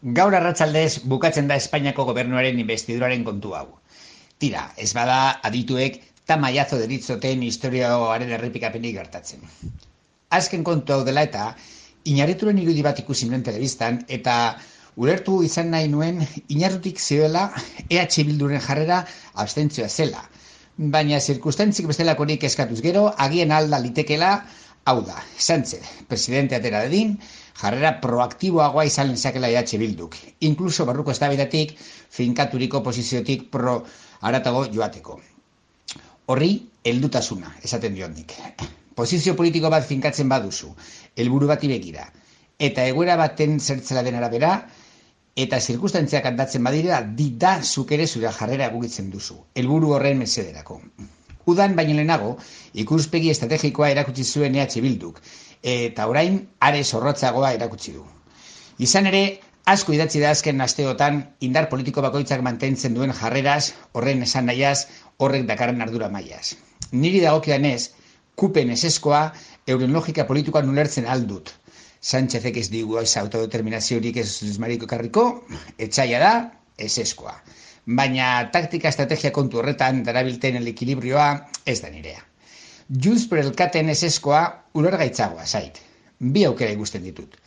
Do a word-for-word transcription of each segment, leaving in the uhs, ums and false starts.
Gaur arratsaldez bukatzen da Espainiako gobernuaren investiduraren kontu hau. Tira, ez bada adituek tamaiazo deritzoten historioaren errepikapenik gertatzen. Azken kontu hau dela eta Iñarrituren irudi bat ikusi nuen telebistan eta ulertu izan nahi nuen Iñarrutik zioela E H Bilduren jarrera abstentzioa zela. Baina zirkustantzik bestelakorik eskatuz gero, agien alda litekela, hau da, Sánchez, presidente atera dedin, jarrera proaktiboagoa izan lezakela E H Bilduk, inkluso barruko eztabaidatik, finkaturiko posiziotik pro haratago joateko. Horri, heldutasuna, esaten diondik. Posizio politiko bat finkatzen baduzu, helburu bati begira, eta egoera baten zertzela den arabera, eta zirkustantziak aldatzen badira, di da zuk ere zure jarrera egokitzen duzu, helburu horren mesederako. Udan baino lehenago, ikuspegi estrategikoa erakutsi zuen E H Bilduk, eta orain are zorrotzagoa erakutsi du. Izan ere, asko idatzi da azken asteotan indar politiko bakoitzak mantentzen duen jarreraz, horren esan nahiaz, horrek dakarren ardura mailaz. Niri dagokidanez, kupen eseskoa euren logika politikoan ulertzen aldut. Sánchezek ez digu ez autodeterminaziorik ez mariko karriko, etxaila da, eseskoa. Baina taktika estrategia kontu horretan darabilten ekilibrioa ez da nirea. Junts per elkaten eseskoa ulergaitzagoa zait. Bi aukera ikusten ditut.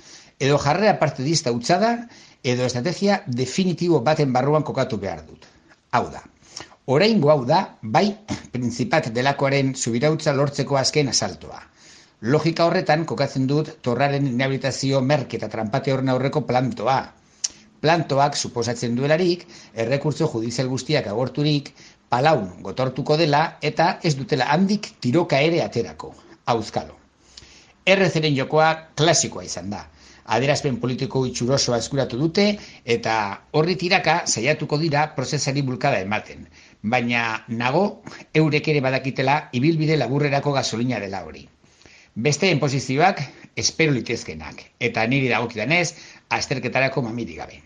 Edo jarrera partidista hutsa da, edo estrategia definitibo baten barruan kokatu behar dut. Hau da. Oraingo hau da, bai, prinzipat delakoaren subirautza lortzeko azken asaltoa. Logika horretan kokatzen dut torraren inhabilitazio merke eta trampate horren aurreko plantoa. Plantoak suposatzen duelarik, errekurtso judizial guztiak agorturik, palaun gotortuko dela eta ez dutela handik tiroka ere aterako. Auskalo. Errezeren jokoa klasikoa izan da. Adierazpen politiko itxurosoa eskuratu dute eta horri tiraka saiatuko dira prozesari bulkada ematen. Baina nago eurek ere badakitela ibilbide laburrerako gasolina dela hori. Besteen posizioak espero litezkenak eta niri dagokidanez azterketarako mamirik gabe.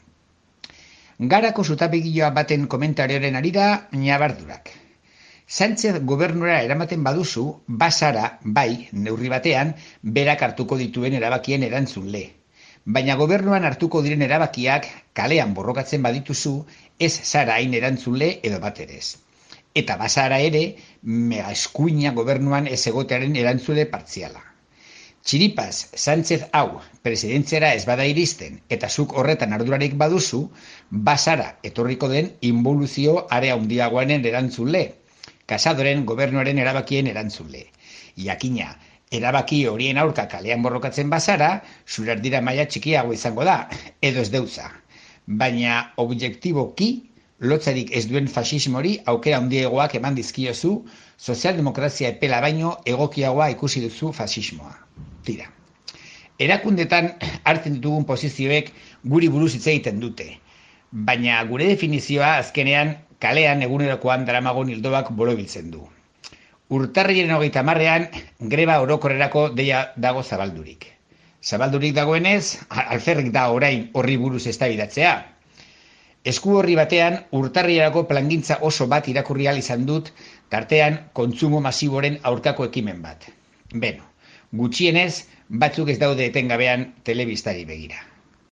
Garako zutapegiloa baten komentarioaren arira ñabardurak. Sánchez gobernura eramaten baduzu, basara, bai, neurri batean, berak hartuko dituen erabakien erantzunle. Baina gobernuan hartuko diren erabakiak kalean borrokatzen badituzu, ez zara hain erantzunle edo baterez. Eta basara ere, mega eskuina gobernuan ez egotearen erantzule partziala. Txiripaz, Sánchez hau, presidentziara ez bada iristen, eta zuk horretan ardurarik baduzu, basara etorriko den involuzio area handiagoanen erantzule, Casadoren gobernuaren erabakien erantzule. Jakina, erabaki horien aurka kalean borrokatzen bazara, zure ardira maila txikiago izango da, edo ez deutza. Baina objektiboki, lotzarik ez duen fasismori aukera handiegoak eman dizkiozu, sozialdemokrazia epela baino egokiagoa ikusi duzu fasismoa. Tira. Erakundetan hartzen ditugun posizioek guri buruz hitz egiten dute, baina gure definizioa azkenean kalean egunerokoan daramagon hildoak borobiltzen du. Urtarrilaren hogeita hamarrean greba orokorrerako deia dago zabaldurik. Zabaldurik dagoenez, alferrik da orain horri buruz eztabaidatzea. Esku horri batean urtarrilerako plangintza oso bat irakurri ahal izan dut, tartean kontsumo masiboren aurkako ekimen bat. Beno, gutxienez, batzuk ez daude etengabean telebistari begira.